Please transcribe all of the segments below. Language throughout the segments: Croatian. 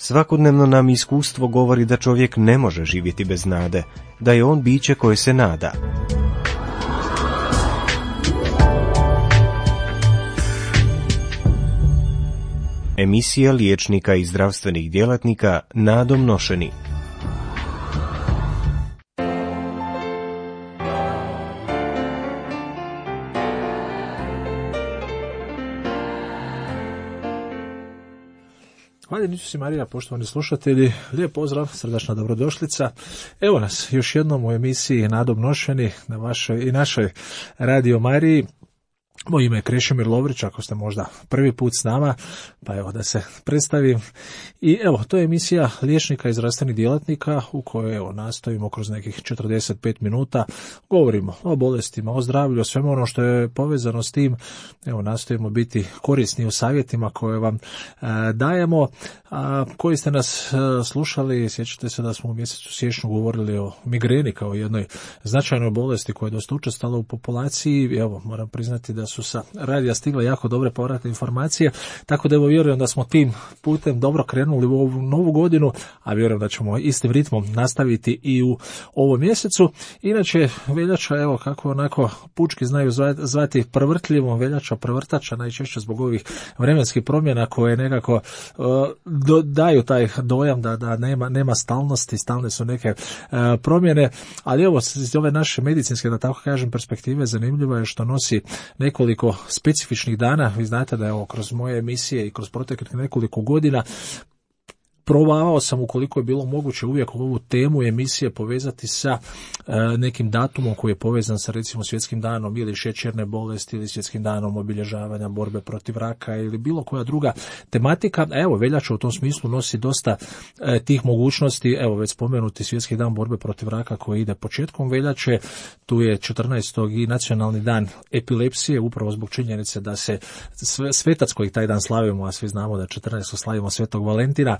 Svakodnevno nam iskustvo govori da čovjek ne može živjeti bez nade, da je on biće koje se nada. Emisija liječnika i zdravstvenih djelatnika nadom nošeni. Hvala Isus Marija, poštovani slušatelji, lijep pozdrav, srdačna dobrodošlica. Evo nas još jednom u emisiji Nadom nošeni na vašoj i našoj Radio Mariji. Moje ime je Krešimir Lovrić, ako ste možda prvi put s nama, pa evo da se predstavim. I evo, to je emisija liječnika i zdravstvenih djelatnika u kojoj evo nastojimo kroz nekih 45 minuta, govorimo o bolestima, o zdravlju, o svemu ono što je povezano s tim. Evo, nastojimo biti korisni u savjetima koje vam dajemo. Koji ste nas slušali, sjećate se da smo u mjesecu siječnju govorili o migreni kao jednoj značajnoj bolesti koja je dosta učestala u populaciji. Evo, moram priznati da su sa radija stigle jako dobre povratne informacije, tako da evo vjerujem da smo tim putem dobro krenuli u ovu novu godinu, a vjerujem da ćemo istim ritmom nastaviti i u ovom mjesecu. Inače, veljača, evo kako onako pučki znaju zvati prevrtljivom, veljača prevrtača, najčešće zbog ovih vremenskih promjena koje nekako daju taj dojam da nema stalnosti, stalne su neke promjene, ali evo iz ove naše medicinske, da tako kažem, perspektive zanimljivo je što nosi nekoliko specifičnih dana. Vi znate da evo kroz moje emisije i kroz proteklih nekoliko godina probavao sam, ukoliko je bilo moguće, uvijek ovu temu emisije povezati sa nekim datumom koji je povezan sa recimo svjetskim danom ili šećerne bolesti ili svjetskim danom obilježavanja borbe protiv raka ili bilo koja druga tematika. Evo, veljača u tom smislu nosi dosta tih mogućnosti. Evo, već spomenuti svjetski dan borbe protiv raka koji ide početkom veljače. Tu je 14. i nacionalni dan epilepsije, upravo zbog činjenice da se svetac koji taj dan slavimo, a svi znamo da 14. slavimo Svetog Valentina,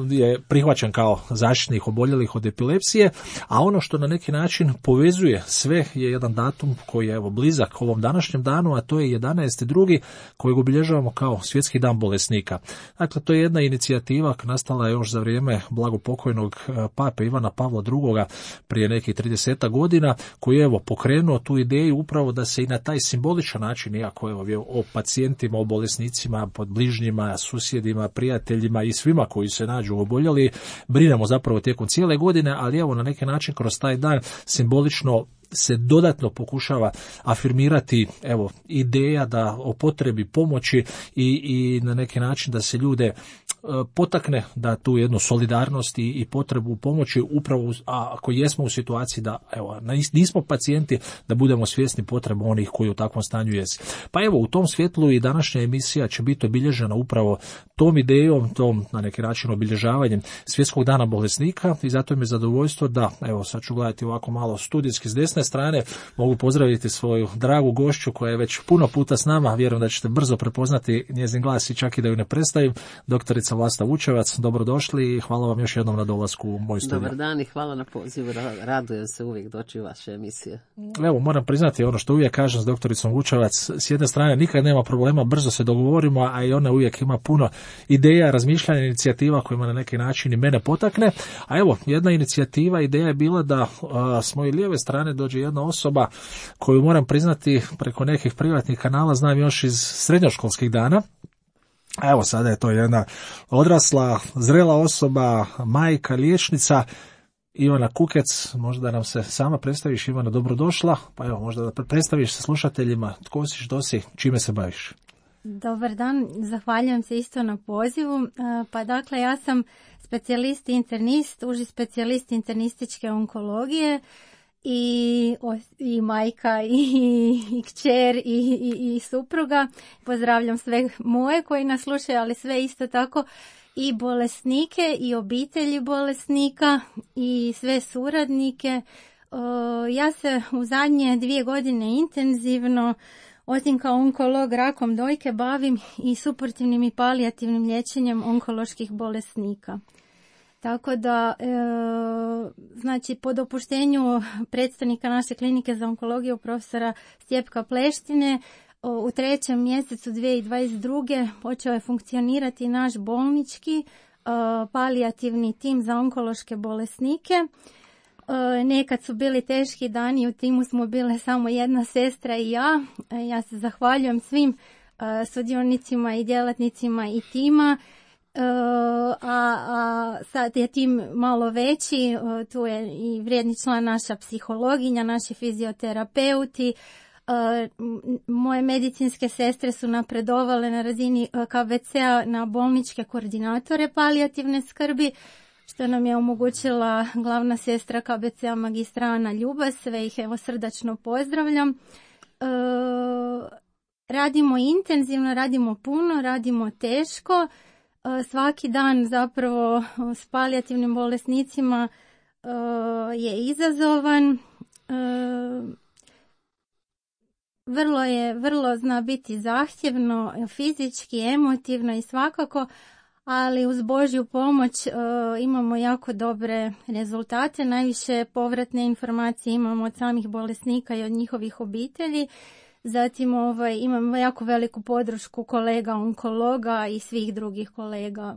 je prihvaćen kao zaštitnik oboljelih od epilepsije, a ono što na neki način povezuje sve je jedan datum koji je evo blizak ovom današnjem danu, a to je 11.2. kojeg obilježavamo kao svjetski dan bolesnika. Dakle, to je jedna inicijativa nastala još za vrijeme blagopokojnog pape Ivana Pavla II. Prije nekih 30 godina, koji je evo pokrenuo tu ideju upravo da se i na taj simboličan način, iako evo o pacijentima, o bolesnicima, pod bližnjima, susjedima, prijateljima i svima koji se nađu oboljeli, brinemo zapravo tijekom cijele godine, ali evo na neki način kroz taj dan simbolično se dodatno pokušava afirmirati evo ideja da o potrebi pomoći i na neki način da se ljude potakne da tu jednu solidarnost i potrebu pomoći upravo ako jesmo u situaciji da evo nismo pacijenti, da budemo svjesni potreba onih koji u takvom stanju jesu. Pa evo u tom svjetlu i današnja emisija će biti obilježena upravo tom idejom, tom na neki način obilježavanjem svjetskog dana bolesnika i zato mi je zadovoljstvo da evo sad ću gledati ovako malo studijski s desne strane, mogu pozdraviti svoju dragu gošću koja je već puno puta s nama, vjerujem da ćete brzo prepoznati njezin glas i čak i da ju ne predstavim, doktorica Vlasta Vučevac, dobrodošli i hvala vam još jednom na dolasku u moj studij. Dobar dan i hvala na pozivu, radujem se uvijek doći u vaše emisije. Evo, moram priznati ono što uvijek kažem s doktoricom Vučevac, s jedne strane nikad nema problema, brzo se dogovorimo, a i ona uvijek ima puno ideja, razmišljanja, inicijativa kojima na neki način i mene potakne. A evo, jedna inicijativa, ideja je bila da s moje lijeve strane dođe jedna osoba koju moram priznati preko nekih privatnih kanala znam još iz srednjoškolskih dana. A evo sada je to jedna odrasla, zrela osoba, majka, liječnica, Ivana Kukec. Možda da nam se sama predstaviš, Ivana, dobrodošla, pa evo možda da predstaviš se slušateljima tko si, što si, čime se baviš. Dobar dan, zahvaljujem se isto na pozivu. Pa dakle, ja sam specijalist internist, uži specijalist internističke onkologije i majka i kćer i supruga. Pozdravljam sve moje koji nas slušaju, ali sve isto tako i bolesnike i obitelji bolesnika i sve suradnike. Ja se u zadnje 2 godine intenzivno, osim kao onkolog rakom dojke, bavim i suportivnim i palijativnim liječenjem onkoloških bolesnika. Tako da, znači, po dopuštenju predstavnika naše klinike za onkologiju profesora Stjepka Pleštine, u 3. mjesecu 2022. počeo je funkcionirati naš bolnički palijativni tim za onkološke bolesnike. Nekad su bili teški dani, u timu smo bile samo jedna sestra i ja. Ja se zahvaljujem svim sudionicima i djelatnicima i tima. A sad je tim malo veći, tu je i vrijedni član naša psihologinja, naši fizioterapeuti. Moje medicinske sestre su napredovale na razini KBC-a na bolničke koordinatore palijativne skrbi, što nam je omogućila glavna sestra KBC-a magistra Ana Ljubas, sve ih evo srdačno pozdravljam. Radimo intenzivno, radimo puno, radimo teško. Svaki dan zapravo s palijativnim bolesnicima je izazovan. Vrlo zna biti zahtjevno, fizički, emotivno i svakako, ali uz Božju pomoć imamo jako dobre rezultate. Najviše povratne informacije imamo od samih bolesnika i od njihovih obitelji. Zatim imamo jako veliku podršku kolega onkologa i svih drugih kolega.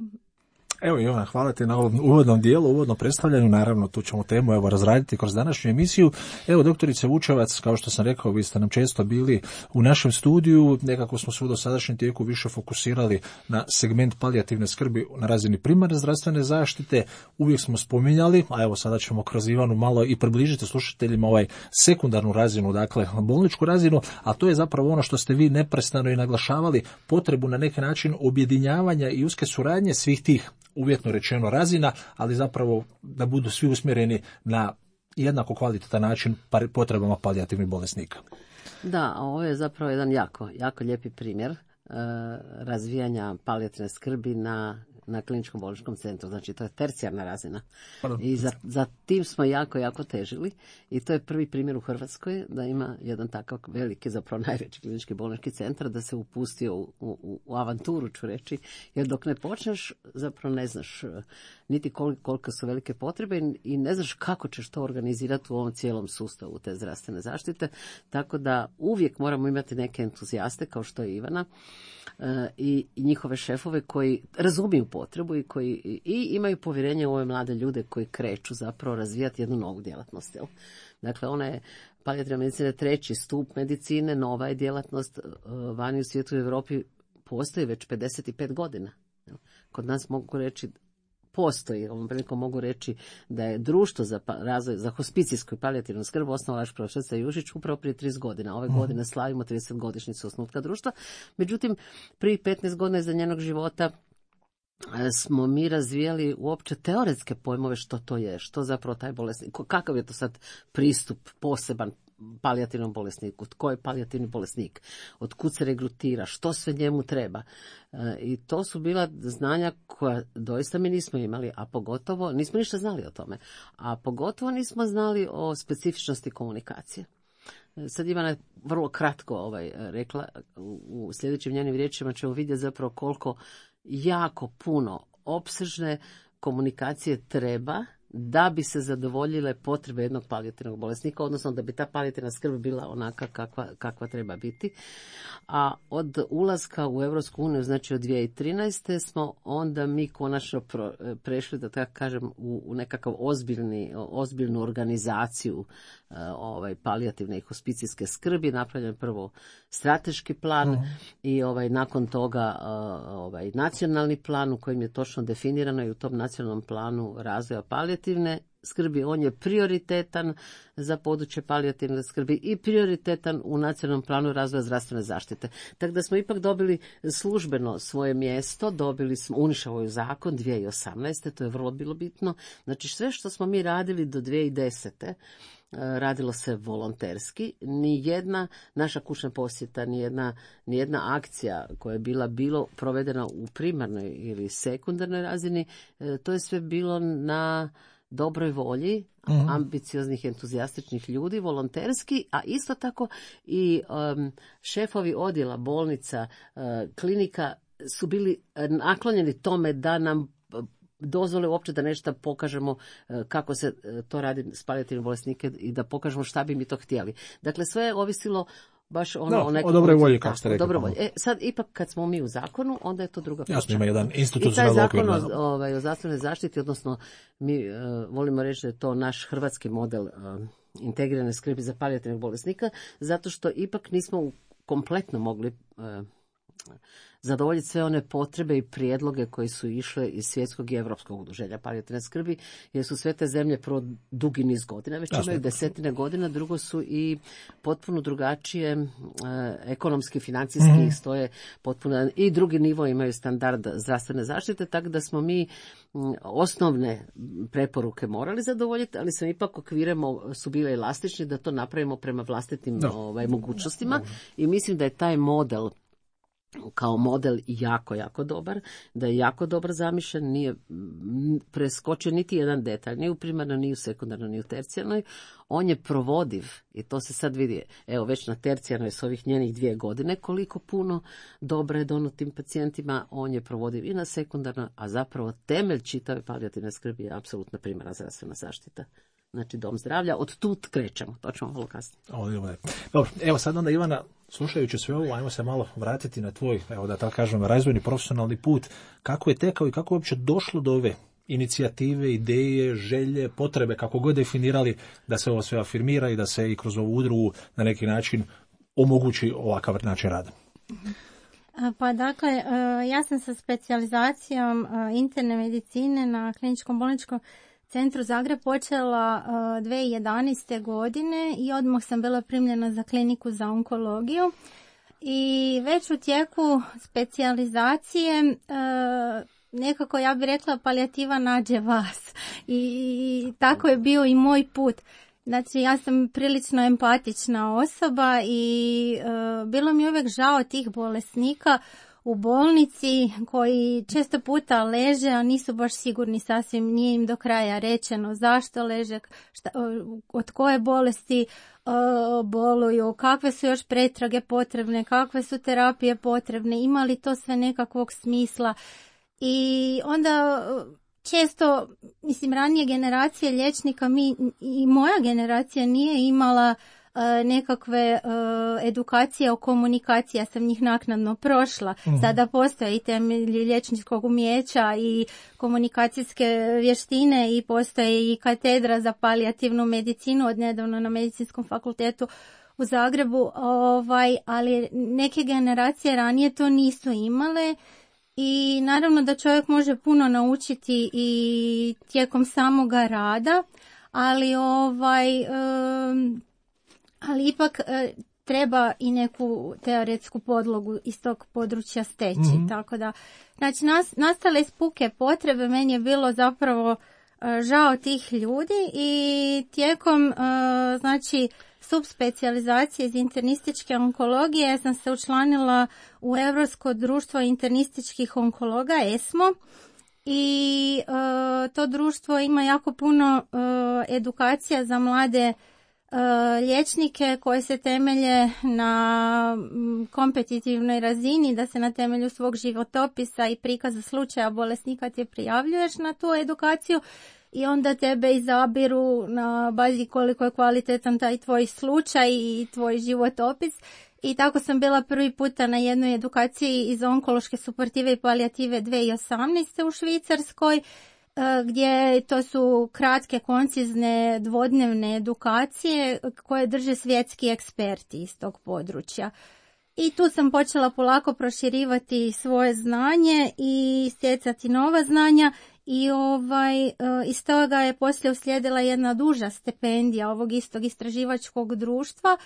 Evo Ivana, hvala ti na ovom uvodnom dijelu, uvodnom predstavljanju. Naravno, tu ćemo temu razraditi kroz današnju emisiju. Evo, doktorice Vučevac, kao što sam rekao, vi ste nam često bili u našem studiju. Nekako smo se u dosadašnjem tijeku više fokusirali na segment palijativne skrbi na razini primarne zdravstvene zaštite. Uvijek smo spominjali, a evo sada ćemo kroz Ivanu malo i približiti slušateljima sekundarnu razinu, dakle bolničku razinu, a to je zapravo ono što ste vi neprestano i naglašavali, potrebu na neki način objedinjavanja i uske suradnje svih tih, uvjetno rečeno, razina, ali zapravo da budu svi usmjereni na jednako kvalitetan način potrebama palijativnih bolesnika. Da, ovo je zapravo jedan jako lijepi primjer razvijanja palijativne skrbi na kliničkom bolničkom centru. Znači, to je tercijarna razina. I za tim smo jako težili. I to je prvi primjer u Hrvatskoj da ima jedan takav veliki, zapravo najveći klinički bolnički centar, da se upustio u avanturu, ću reći. Jer dok ne počneš, zapravo ne znaš niti koliko su velike potrebe i ne znaš kako ćeš to organizirati u ovom cijelom sustavu te zdravstvene zaštite. Tako da uvijek moramo imati neke entuzijaste, kao što je Ivana, i njihove šefove koji razumiju potrebu i koji imaju povjerenje u ove mlade ljude koji kreću zapravo razvijati jednu novu djelatnost. Jel? Dakle, ona je palijativna medicina treći stup medicine, nova je djelatnost, vani u svijetu i Europi postoji već 55 godina. Jel? Kod nas mogu reći postoji, ovom prilikom mogu reći da je društvo za razvoj, za hospicijsku i palijativnu skrb osnovao vaš profesor Jušić upravo prije 30 godina. Ove godine slavimo 30-godišnjicu osnutka društva. Međutim, prije 15 godina iza njenog života smo mi razvijali uopće teoretske pojmove što to je, što zapravo taj bolesnik, kakav je to sad pristup poseban palijativnom bolesniku, tko je palijativni bolesnik, od kud se regrutira, što sve njemu treba. I to su bila znanja koja doista mi nismo imali, a pogotovo nismo ništa znali o tome, a pogotovo nismo znali o specifičnosti komunikacije. Sad Ivana je vrlo kratko rekla, u sljedećim njenim riječima ćemo vidjeti zapravo koliko jako puno opsežne komunikacije treba da bi se zadovoljile potrebe jednog palijativnog bolesnika, odnosno da bi ta palijativna skrb bila onaka kakva treba biti. A od ulaska u Europsku uniju, znači od 2013. smo onda mi konačno prešli, da tako kažem, u nekakav ozbiljnu organizaciju palijativne i hospicijske skrbi. Napravljen prvo strateški plan i nakon toga nacionalni plan u kojem je točno definirano i u tom nacionalnom planu razvoja palijativne skrbi. On je prioritetan za područje palijativne skrbi i prioritetan u nacionalnom planu razvoja zdravstvene zaštite. Tako da smo ipak dobili službeno svoje mjesto, dobili smo Unišavoj zakon 2018. To je vrlo bilo bitno. Znači sve što smo mi radili do 2010. radilo se volonterski. Nijedna naša kućna posjeta, nijedna akcija koja je bilo provedena u primarnoj ili sekundarnoj razini, to je sve bilo na dobroj volji, ambicioznih, entuzijastičnih ljudi, volonterski, a isto tako i šefovi odjela, bolnica, klinika su bili naklonjeni tome da nam dozvole uopće da nešto pokažemo kako se to radi s palijativnim bolesnike i da pokažemo šta bi mi to htjeli. Dakle, sve je ovisilo baš ono o dobroj volji, kako ste rekli. Sad ipak kad smo mi u zakonu, onda je to druga priča. Jasno, ima jedan institucionalni okvir. I taj zakon o zdravstvenoj zaštiti, odnosno mi volimo reći da je to naš hrvatski model integrirane skrbi za palijativnog bolesnika, zato što ipak nismo kompletno mogli zadovoljiti sve one potrebe i prijedloge koji su išle iz svjetskog i europskog udruženja palijativne skrbi, jer su sve te zemlje prvo dugi niz godina, već imaju desetine godina, drugo su i potpuno drugačije ekonomski, financijski stoje potpuno, i drugi nivo imaju standard zdravstvene zaštite, tako da smo mi osnovne preporuke morali zadovoljiti, ali sam ipak okvire su bile elastični da to napravimo prema vlastitim mogućnostima i mislim da je taj model kao model jako, jako dobar, da je jako dobro zamišljen, nije preskočio niti jedan detalj, ni u primarnoj, ni u sekundarnoj, ni u tercijarnoj. On je provodiv i to se sad vidi, evo već na tercijarnoj s ovih njenih 2 godine, koliko puno dobro je dono tim pacijentima, on je provodiv i na sekundarnoj, a zapravo temelj čitave palijativne skrbi je apsolutna primarna zdravstvena zaštita. Znači dom zdravlja, od tu krećemo, to ćemo malo kasnije. Dobro, evo sad onda Ivana, slušajući sve ovo, ajmo se malo vratiti na tvoj, evo da tako kažem, razvojni profesionalni put. Kako je tekao i kako je uopće došlo do ove inicijative, ideje, želje, potrebe, kako god definirali, da se ovo sve afirmira i da se i kroz ovu udrugu na neki način omogući ovakav način rada? Pa dakle, ja sam sa specijalizacijom interne medicine na Kliničkom bolničkom centru Zagreb počela 2011. godine i odmah sam bila primljena za kliniku za onkologiju i već u tijeku specijalizacije nekako, ja bih rekla, palijativa nađe vas i tako je bio i moj put. Znači, ja sam prilično empatična osoba i bilo mi uvijek žao tih bolesnika u bolnici koji često puta leže, a nisu baš sigurni sasvim, nije im do kraja rečeno zašto leže, od koje bolesti boluju, kakve su još pretrage potrebne, kakve su terapije potrebne, ima li to sve nekakvog smisla. I onda često, mislim, ranije generacije liječnika, mi i moja generacija nije imala nekakve edukacije o komunikaciji, ja sam njih naknadno prošla. Sada postoje i temelji liječničkog umijeća i komunikacijske vještine i postoje i katedra za palijativnu medicinu od nedavno na Medicinskom fakultetu u Zagrebu, ali neke generacije ranije to nisu imale. I naravno da čovjek može puno naučiti i tijekom samoga rada, ali ali ipak treba i neku teoretsku podlogu iz tog područja steći. Tako da, znači, nastale iz puke potrebe, meni je bilo zapravo žao tih ljudi i tijekom, znači, subspecijalizacije iz internističke onkologije ja sam se učlanila u Europsko društvo internističkih onkologa, ESMO, i to društvo ima jako puno edukacija za mlade liječnike koje se temelje na kompetitivnoj razini, da se na temelju svog životopisa i prikaza slučaja bolesnika ti prijavljuješ na tu edukaciju i onda tebe izabiru na bazi koliko je kvalitetan taj tvoj slučaj i tvoj životopis. I tako sam bila prvi puta na jednoj edukaciji iz onkološke suportive i palijative 2018. u Švicarskoj, gdje to su kratke, koncizne, dvodnevne edukacije koje drže svjetski eksperti iz tog područja. I tu sam počela polako proširivati svoje znanje i stjecati nova znanja i iz toga je poslije uslijedila jedna duža stipendija ovog istog istraživačkog društva,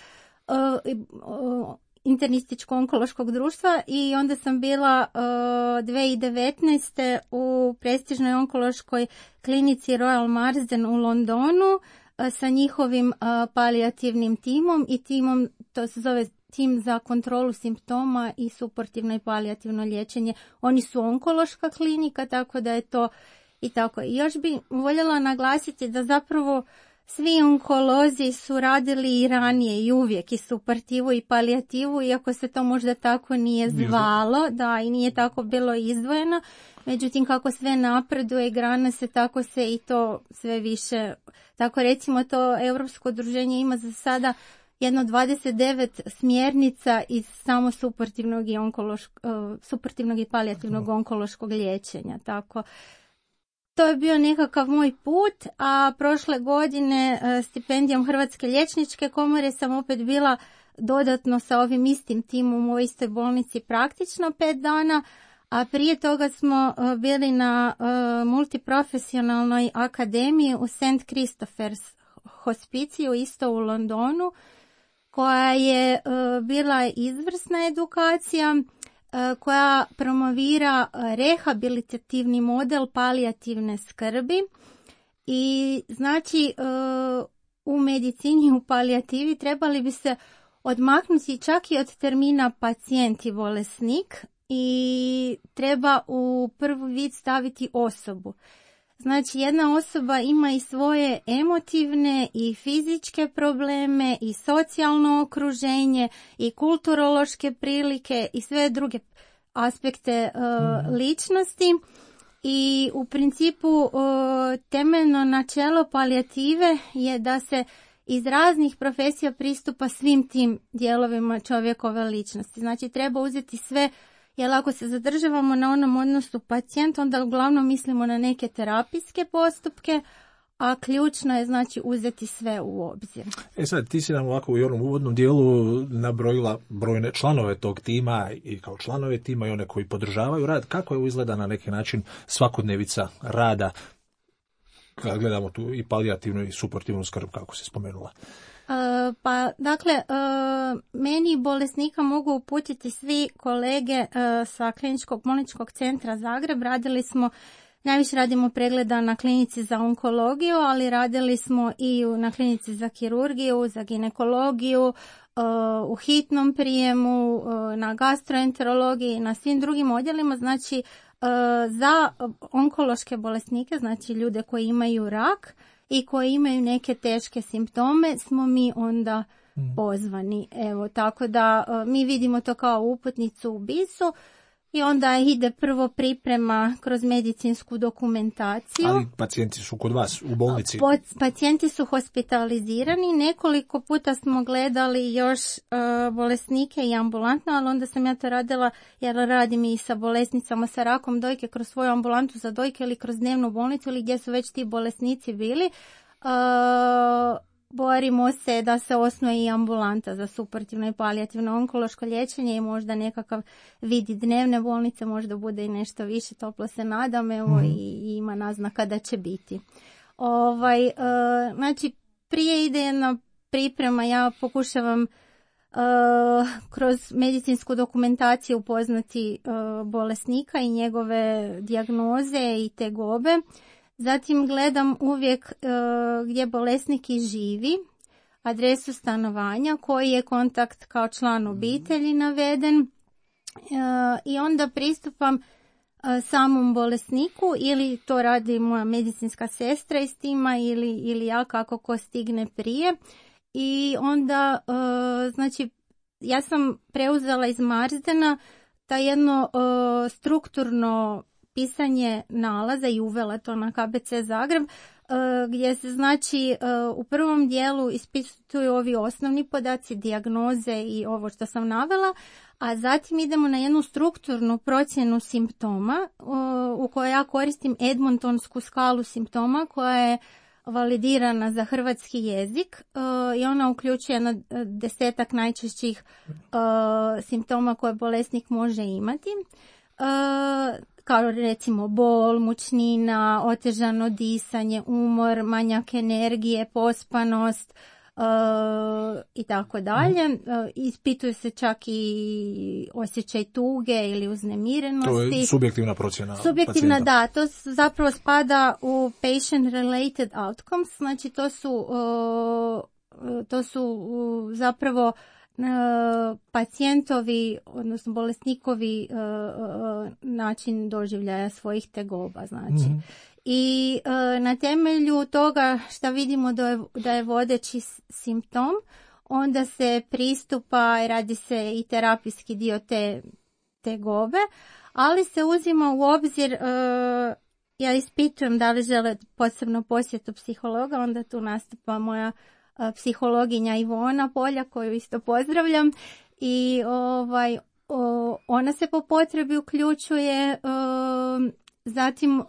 internističko-onkološkog društva, i onda sam bila 2019. u prestižnoj onkološkoj klinici Royal Marsden u Londonu sa njihovim palijativnim timom i timom, to se zove tim za kontrolu simptoma i suportivno i palijativno liječenje. Oni su onkološka klinika, tako da je to i tako. I još bi voljela naglasiti da zapravo svi onkolozi su radili i ranije i uvijek i suportivu i palijativu, iako se to možda tako nije zvalo, da, i nije tako bilo izdvojeno. Međutim, kako sve napreduje i grana se, tako se i to sve više, tako recimo to Europsko udruženje ima za sada jedno 29 smjernica iz samo suportivnog i palijativnog onkološkog liječenja. Tako, to je bio nekakav moj put, a prošle godine stipendijom Hrvatske liječničke komore sam opet bila dodatno sa ovim istim timom u istoj bolnici praktično 5 dana, a prije toga smo bili na multiprofesionalnoj akademiji u St. Christopher's hospiciju isto u Londonu, koja je bila izvrsna edukacija koja promovira rehabilitativni model palijativne skrbi i znači u medicini u palijativi trebali bi se odmaknuti čak i od termina pacijent i bolesnik i treba u prvi vid staviti osobu. Znači jedna osoba ima i svoje emotivne i fizičke probleme i socijalno okruženje i kulturološke prilike i sve druge aspekte ličnosti i u principu temeljno načelo palijative je da se iz raznih profesija pristupa svim tim dijelovima čovjekove ličnosti. Znači treba uzeti sve, jer ako se zadržavamo na onom odnosu pacijent, onda uglavnom mislimo na neke terapijske postupke, a ključno je znači uzeti sve u obzir. Sad, ti si nam ovako u onom uvodnom dijelu nabrojila brojne članove tog tima i kao članove tima i one koji podržavaju rad. Kako je izgleda na neki način svakodnevica rada, kad gledamo tu i palijativnu i suportivnu skrb, kako si spomenula? Pa, dakle, meni bolesnika mogu uputiti svi kolege sa Kliničkog bolničkog centra Zagreb. Najviše radimo pregleda na klinici za onkologiju, ali radili smo i na klinici za kirurgiju, za ginekologiju, u hitnom prijemu, na gastroenterologiji, na svim drugim odjelima. Znači, za onkološke bolesnike, znači ljude koji imaju rak i koji imaju neke teške simptome, smo mi onda pozvani. Evo, tako da mi vidimo to kao uputnicu u BIS-u i onda ide prvo priprema kroz medicinsku dokumentaciju. Ali pacijenti su kod vas u bolnici? Pacijenti su hospitalizirani. Nekoliko puta smo gledali još bolesnike i ambulantno, ali onda sam ja to radila jer radim i sa bolesnicama sa rakom dojke kroz svoju ambulantu za dojke ili kroz dnevnu bolnicu ili gdje su već ti bolesnici bili. Borimo se da se osnuje i ambulanta za suportivno i palijativno onkološko liječenje i možda nekakav vidi dnevne bolnice, možda bude i nešto više, toplo se nadam, evo i ima naznaka da će biti. Znači, prije ide jedna priprema, ja pokušavam kroz medicinsku dokumentaciju upoznati bolesnika i njegove dijagnoze i tegobe. Zatim gledam uvijek gdje bolesnik i živi, adresu stanovanja, koji je kontakt kao član obitelji naveden i onda pristupam samom bolesniku ili to radi moja medicinska sestra iz tima ili ja kako ko stigne prije. I onda, znači, ja sam preuzela iz Marzdena ta jedno strukturno pisanje nalaza i uvela to na KBC Zagreb, gdje se znači u prvom dijelu ispituju ovi osnovni podaci, dijagnoze i ovo što sam navela, a zatim idemo na jednu strukturnu procjenu simptoma u kojoj ja koristim Edmontonsku skalu simptoma koja je validirana za hrvatski jezik i ona uključuje 10 najčešćih simptoma koje bolesnik može imati. Kao recimo bol, mučnina, otežano disanje, umor, manjak energije, pospanost i tako dalje. Ispituje se čak i osjećaj tuge ili uznemirenosti. To je subjektivna procjena subjektivna pacijenta. Da, to zapravo spada u patient related outcomes, znači to su zapravo pacijentovi, odnosno bolesnikovi način doživljaja svojih tegoba, znači. I na temelju toga što vidimo da je vodeći simptom, onda se pristupa i radi se i terapijski dio te tegobe, ali se uzima u obzir, ja ispitujem da li žele posebno posjetu psihologa, onda tu nastupa moja psihologinja Ivona Polja, koju isto pozdravljam, i ona se po potrebi uključuje. Zatim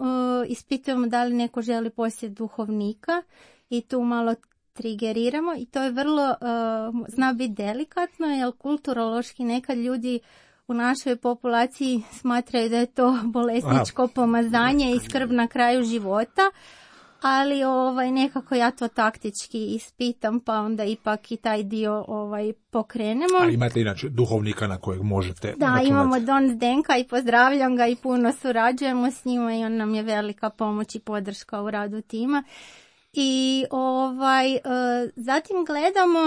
ispitujemo da li neko želi posjet duhovnika i tu malo trigeriramo i to je vrlo, zna biti delikatno, jer kulturološki nekad ljudi u našoj populaciji smatraju da je to bolesničko pomazanje i skrb na kraju života, ali nekako ja to taktički ispitam, pa onda ipak i taj dio pokrenemo. Ali imate inače duhovnika na kojeg možete računati? Da, imamo Don Zdenka i pozdravljam ga i puno surađujemo s njima i on nam je velika pomoć i podrška u radu tima. I zatim gledamo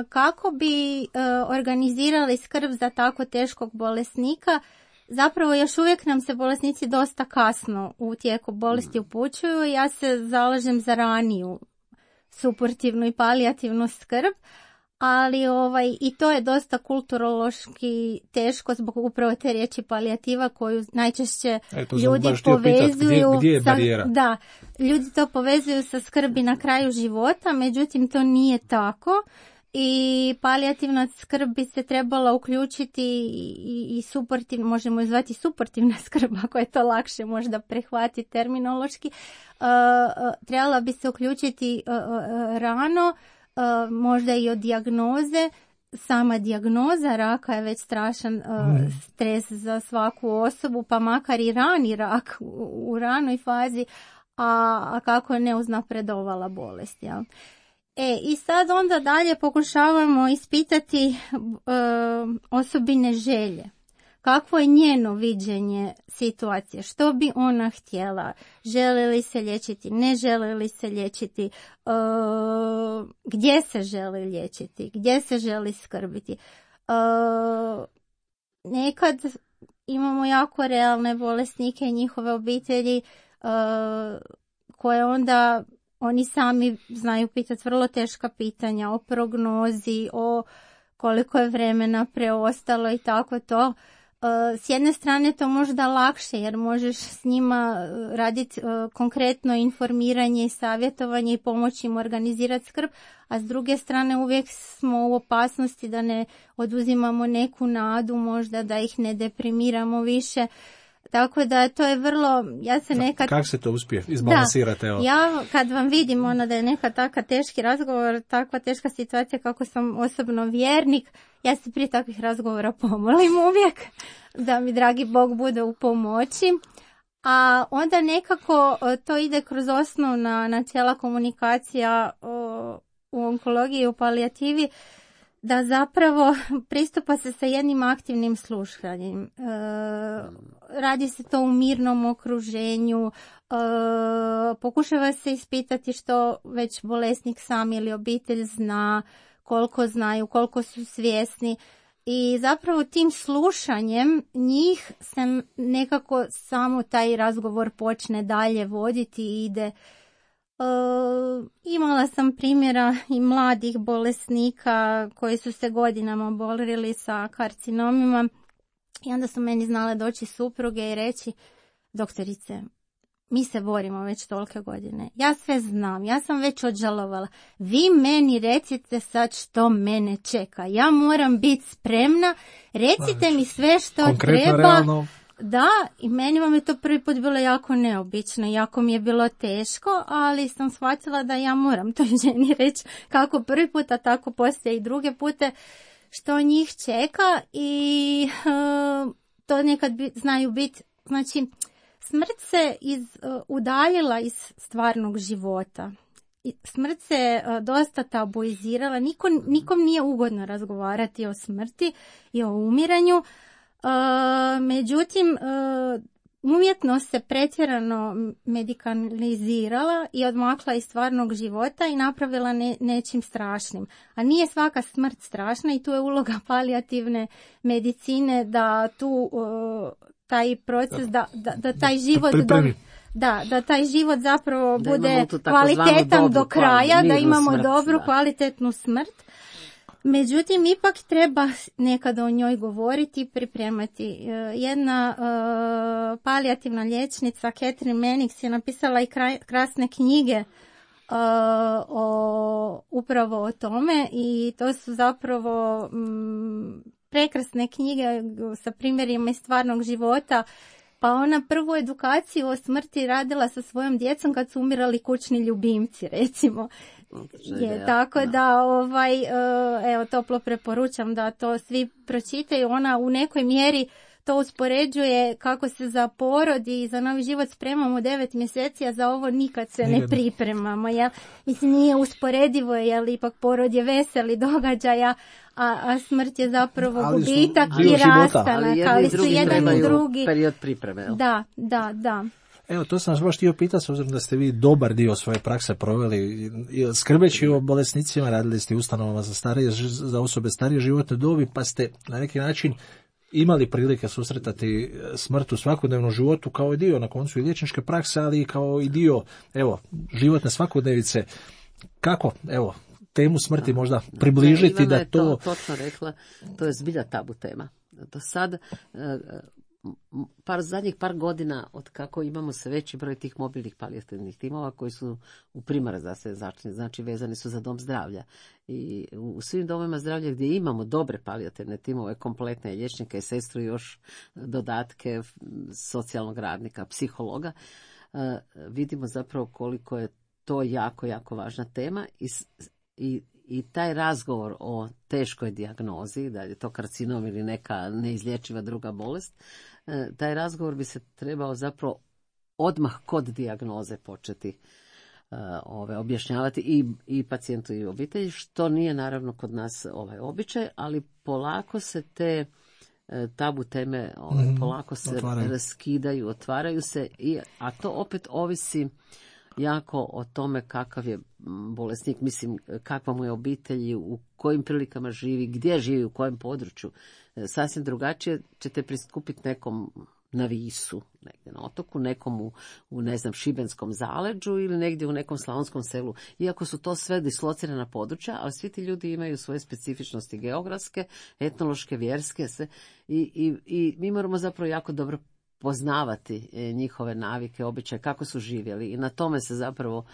kako bi organizirali skrb za tako teškog bolesnika. Zapravo još uvijek nam se bolesnici dosta kasno u tijeku bolesti upućuju. Ja se zalažem za raniju suportivnu i palijativnu skrb, ali i to je dosta kulturološki teško zbog upravo te riječi palijativa koju najčešće ljudi povezuju gdje je barijera? Da, ljudi to povezuju sa skrbi na kraju života, međutim to nije tako. I palijativna skrb bi se trebala uključiti i suportivno, možemo je zvati suportivna skrb ako je to lakše možda prihvatiti terminološki, trebala bi se uključiti rano, možda i od dijagnoze. Sama dijagnoza raka je već strašan stres za svaku osobu, pa makar i rani rak u ranoj fazi, a kako je neuznapredovala bolest, jel? I sad onda dalje pokušavamo ispitati osobine želje. Kakvo je njeno viđenje situacije? Što bi ona htjela? Želi li se liječiti? Ne želi li se liječiti? Gdje se želi liječiti? Gdje se želi skrbiti? Nekad imamo jako realne bolesnike i njihove obitelji koje onda oni sami znaju pitati vrlo teška pitanja o prognozi, o koliko je vremena preostalo i tako to. S jedne strane to možda lakše jer možeš s njima raditi konkretno informiranje i savjetovanje i pomoći im organizirati skrb, a s druge strane uvijek smo u opasnosti da ne oduzimamo neku nadu, možda da ih ne deprimiramo više. Tako da to je vrlo, ja se nekad... Kako se to uspije izbalansirati? Da, ja kad vam vidim da je neka taka teški razgovor, takva teška situacija kako sam osobno vjernik, ja se prije takvih razgovora pomolim uvijek da mi dragi Bog bude u pomoći. A onda nekako to ide kroz osnovna načela komunikacija u onkologiji i u palijativi, da zapravo pristupa se sa jednim aktivnim slušanjem. Radi se to u mirnom okruženju, pokušava se ispitati što već bolesnik sam ili obitelj zna, koliko znaju, koliko su svjesni. I zapravo tim slušanjem njih se nekako samo taj razgovor počne dalje voditi i ide. Imala sam primjera i mladih bolesnika koji su se godinama borili sa karcinomima i onda su meni znale doći supruge i reći: doktorice, mi se borimo već tolike godine, ja sve znam, ja sam već odžalovala, vi meni recite sad što mene čeka, ja moram biti spremna, recite mi sve što konkretno, treba. realno. Da, i meni vam je to prvi put bilo jako neobično, jako mi je bilo teško, ali sam shvatila da ja moram toj ženi reći kako prvi put, a tako poslije i druge pute, što njih čeka. I to nekad znaju biti, znači smrt se udaljila iz stvarnog života. Smrt se dosta tabuizirala, nikom nije ugodno razgovarati o smrti i o umiranju. Međutim, umjetnost se pretjerano medikalizirala i odmakla iz stvarnog života i napravila nečim strašnim. A nije svaka smrt strašna i tu je uloga palijativne medicine da tu taj proces, da taj život... Da taj život zapravo da bude kvalitetan do kraja, da imamo smrt, dobru, kvalitetnu smrt. Međutim, ipak treba nekada o njoj govoriti i pripremati. Jedna palijativna liječnica, Catherine Mannix, je napisala i krasne knjige upravo o tome i to su zapravo prekrasne knjige sa primjerima iz stvarnog života. Pa ona prvu edukaciju o smrti radila sa svojom djecom kad su umirali kućni ljubimci, recimo. Tako da, evo, toplo preporučam da to svi pročitaju. Ona u nekoj mjeri to uspoređuje kako se za porod i za novi život spremamo 9 mjeseci, a za ovo nikad se ne pripremamo. Jel? Mislim, nije usporedivo, jer ipak porod je veseli događaja, a smrt je zapravo gubitak i rastanak. Ali su jedan i drugi period pripreme. Jel? Da. Evo, to sam vas baš htio pitati, s obzirom da ste vi dobar dio svoje prakse proveli. Skrbeći o bolesnicima, radili ste ustanovama za osobe starije životne dobi, pa ste na neki način imali prilike susretati smrt u svakodnevnom životu kao i dio na koncu i liječničke prakse, ali i kao i dio, evo, životne svakodnevice. Kako, evo, temu smrti možda približiti da to... Ivana je točno rekla, to je zbilja tabu tema. Do sad, zadnjih par godina od kako imamo sve veći broj tih mobilnih palijativnih timova koji su u primarnoj zdravstvenoj, znači vezani su za dom zdravlja. I u svim domovima zdravlja gdje imamo dobre palijativne timove, kompletne liječnike i sestru, još dodatke socijalnog radnika, psihologa, vidimo zapravo koliko je to jako, jako važna tema i taj razgovor o teškoj dijagnozi, da je to karcinom ili neka neizlječiva druga bolest, taj razgovor bi se trebao zapravo odmah kod dijagnoze početi objašnjavati i pacijentu i obitelji, što nije naravno kod nas običaj, ali polako se te tabu teme polako se raskidaju, otvaraju se, a to opet ovisi jako o tome kakav je bolesnik, mislim kakva mu je obitelj, u kojim prilikama živi, gdje živi, u kojem području. Sasvim drugačije ćete pristupiti nekom na Visu, negdje na otoku, nekom u ne znam, Šibenskom zaleđu ili negdje u nekom slavonskom selu. Iako su to sve dislocirana područja, ali svi ti ljudi imaju svoje specifičnosti geografske, etnološke, vjerske, sve. I mi moramo zapravo jako dobro poznavati njihove navike, običaje, kako su živjeli i na tome se zapravo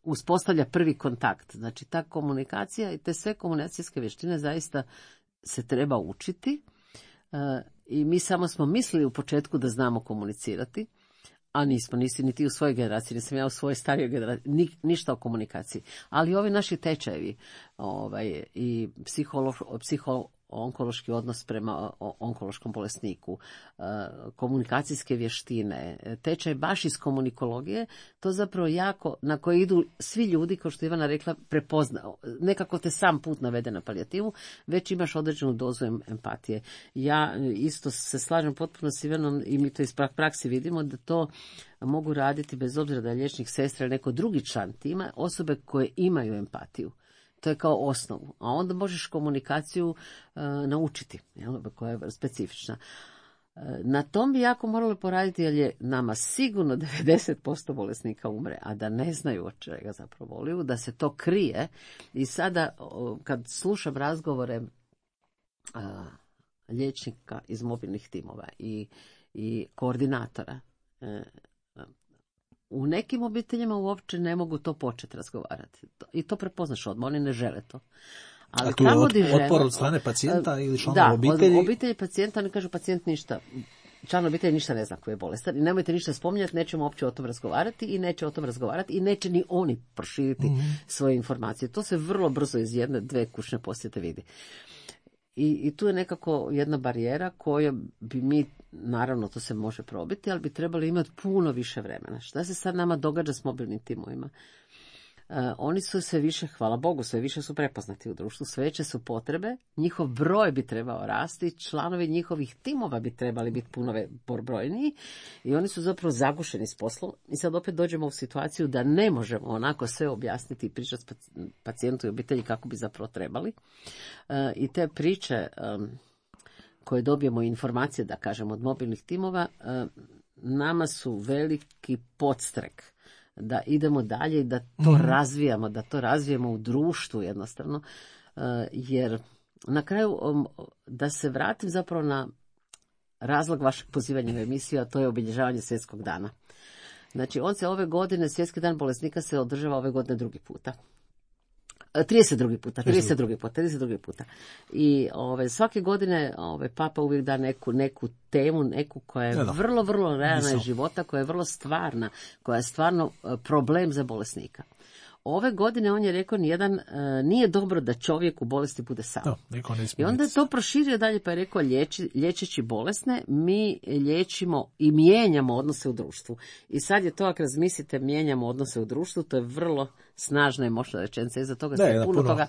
uspostavlja prvi kontakt. Znači ta komunikacija i te sve komunikacijske vještine zaista se treba učiti i mi samo smo mislili u početku da znamo komunicirati, a nismo, nisi niti u svojoj generaciji, nisam ja u svojoj starijoj generaciji, ništa o ali ovi naši tečajevi i onkološki odnos prema onkološkom bolesniku, komunikacijske vještine, tečaj baš iz komunikologije, to zapravo jako, na koje idu svi ljudi, kao što je Ivana rekla, prepoznao. Nekako te sam put navede na palijativu, već imaš određenu dozu empatije. Ja isto se slažem potpuno s Ivanom i mi to iz praksi vidimo da to mogu raditi bez obzira da je liječnik, sestra ili neko drugi član tima, osobe koje imaju empatiju. To je kao osnovu. A onda možeš komunikaciju naučiti, koja je specifična. Na tom bi jako morali poraditi, jer je nama sigurno 90% bolesnika umre, a da ne znaju od čega zapravo boluju, da se to krije. I sada, kad slušam razgovore liječnika iz mobilnih timova i koordinatora, u nekim obiteljima uopće ne mogu to početi razgovarati. I to prepoznaš odmah, oni ne žele to. Ali tu je otpor od strane pacijenta ili članova obitelji? Da, od obitelji pacijenta, oni kažu pacijent ništa, član obitelji ništa ne zna koji je bolestan i nemojte ništa spominjati, nećemo uopće o tom razgovarati i neće o tom razgovarati i neće ni oni proširiti svoje informacije. To se vrlo brzo iz 1-2 kućne posjete vidi. I tu je nekako jedna barijera koju bi mi, naravno to se može probiti, ali bi trebali imati puno više vremena. Šta se sad nama događa s mobilnim timovima? Oni su sve više, hvala Bogu, sve više su prepoznati u društvu, sve veće su potrebe, njihov broj bi trebao rasti, članovi njihovih timova bi trebali biti puno brojniji i oni su zapravo zagušeni s poslom i sad opet dođemo u situaciju da ne možemo onako sve objasniti i pričati pacijentu i obitelji kako bi zapravo trebali. I te priče koje dobijemo informacije, da kažem, od mobilnih timova, nama su veliki podstrek da idemo dalje i da to razvijamo, da to razvijemo u društvu jednostavno, jer na kraju, da se vratim zapravo na razlog vašeg pozivanja u emisiju, a to je obilježavanje svjetskog dana. Znači, on se ove godine, Svjetski dan bolesnika se održava ove godine drugi puta. 32 puta. I svake godine Papa uvijek da neku temu, neku koja je vrlo, vrlo realna iz života, koja je vrlo stvarna, koja je stvarno problem za bolesnika. Ove godine on je rekao nije dobro da čovjek u bolesti bude sam. I onda je to proširio dalje pa je rekao liječeći bolesne mi liječimo i mijenjamo odnose u društvu. I sad je to, ako razmislite, mijenjamo odnose u društvu, to je vrlo snažna i moćna rečenica. Iza toga se puno toga...